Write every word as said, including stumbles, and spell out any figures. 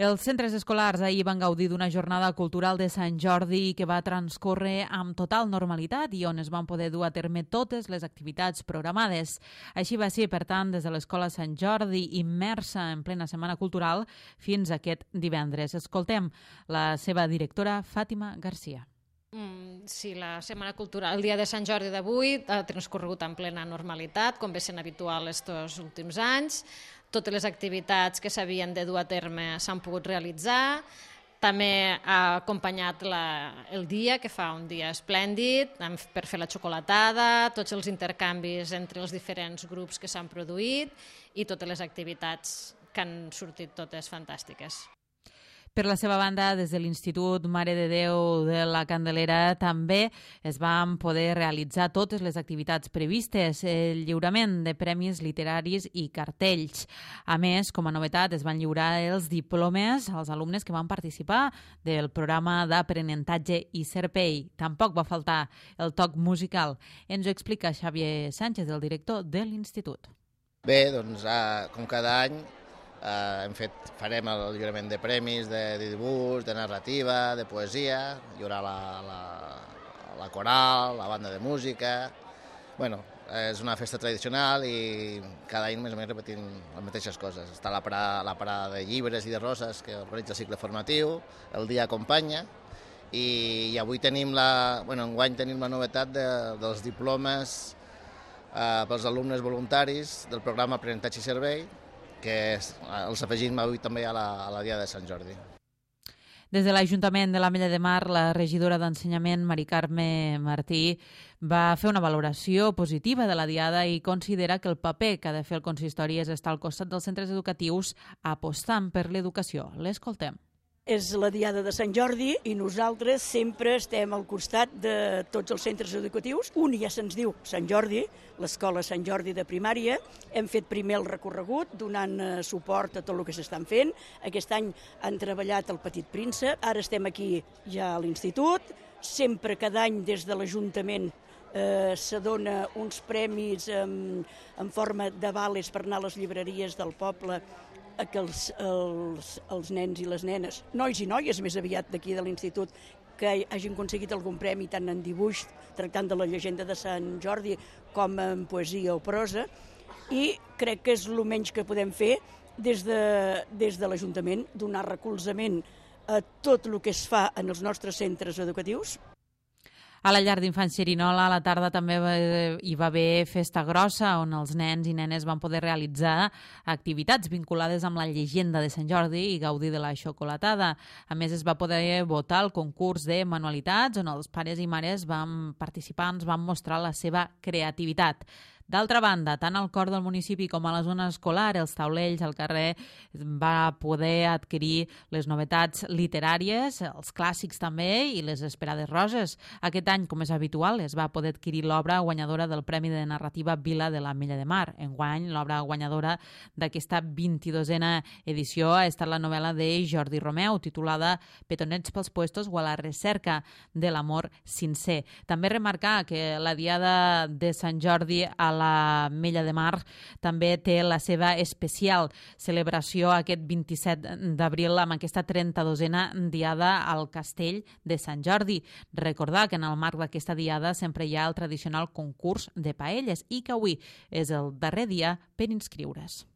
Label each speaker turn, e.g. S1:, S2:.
S1: Els centres escolars ahir van gaudir d'una jornada cultural de Sant Jordi que va transcórrer amb total normalitat i on es van poder dur a terme totes les activitats programades. Així va ser, per tant, des de l'Escola Sant Jordi, immersa en plena Setmana Cultural, fins aquest divendres. Escoltem la seva directora, Fàtima Garcia.
S2: Mm, sí, la Setmana Cultural, el dia de Sant Jordi d'avui ha transcorregut en plena normalitat, com ve sent habitual estos últims anys. Totes les activitats que s'havien de dur a terme s'han pogut realitzar. També ha acompanyat la, el dia, que fa un dia esplèndid, per fer la xocolatada, tots els intercanvis entre els diferents grups que s'han produït i totes les activitats que han sortit totes fantàstiques.
S1: Per la seva banda, des de l'Institut Mare de Déu de la Candelera també es van poder realitzar totes les activitats previstes, el lliurament de premis literaris i cartells. A més, com a novetat, es van lliurar els diplomes als alumnes que van participar del programa d'aprenentatge i Serpei. Tampoc va faltar el toc musical. Ens ho explica Xavier Sánchez, el director de l'Institut.
S3: Bé, doncs, com cada any, Uh, hem fet, farem el lliurament de premis de, de dibuix, de narrativa, de poesia, hi haurà la, la, la coral, la banda de música. Bueno, és una festa tradicional i cada any més o menys repetim les mateixes coses. Està la parada, la parada de llibres i de roses que organitza el cicle formatiu, el dia acompanya i, i avui tenim la, bueno, enguany tenim la novetat de, dels diplomes uh, pels alumnes voluntaris del programa Aprenentatge i Servei, que els afegim avui també a la, a la dia de Sant Jordi.
S1: Des de l'Ajuntament de l'Ametlla de Mar, la regidora d'Ensenyament, Mari Carme Martí, va fer una valoració positiva de la diada i considera que el paper que ha de fer el consistori és estar al costat dels centres educatius apostant per l'educació. L'escoltem.
S4: És la diada de Sant Jordi i nosaltres sempre estem al costat de tots els centres educatius. Un ja se'ns diu Sant Jordi, l'Escola Sant Jordi de primària. Hem fet primer el recorregut donant suport a tot el que s'estan fent. Aquest any han treballat el Petit Príncep. Ara estem aquí ja a l'institut. Sempre cada any des de l'Ajuntament eh, se dona uns premis en, en forma de vales per anar a les llibreries del poble que els, els, els nens i les nenes, nois i noies més aviat d'aquí de l'institut, que hagin aconseguit algun premi tant en dibuix, tractant de la llegenda de Sant Jordi, com en poesia o prosa, i crec que és el menys que podem fer des de, des de l'Ajuntament, donar recolzament a tot el que es fa en els nostres centres educatius.
S1: A la llar d'infants Xerinola, a la tarda també hi va haver festa grossa, on els nens i nenes van poder realitzar activitats vinculades amb la llegenda de Sant Jordi i gaudir de la xocolatada. A més, es va poder votar el concurs de manualitats, on els pares i mares van participar, ens van mostrar la seva creativitat. D'altra banda, tant al cor del municipi com a la zona escolar, els taulells al carrer va poder adquirir les novetats literàries, els clàssics també i les esperades roses. Aquest any, com és habitual, es va poder adquirir l'obra guanyadora del Premi de Narrativa Vila de l'Ametlla de Mar. Enguany, l'obra guanyadora d'aquesta vint-i-dosena edició ha estat la novel·la de Jordi Romeu, titulada Petonets pels puestos o a la recerca de l'amor sincer. També remarcar que la diada de Sant Jordi a l'Ametlla de Mar també té la seva especial celebració aquest vint-i-set d'abril amb aquesta trenta-dosena diada al Castell de Sant Jordi. Recordar que en el marc d'aquesta diada sempre hi ha el tradicional concurs de paelles i que avui és el darrer dia per inscriure's.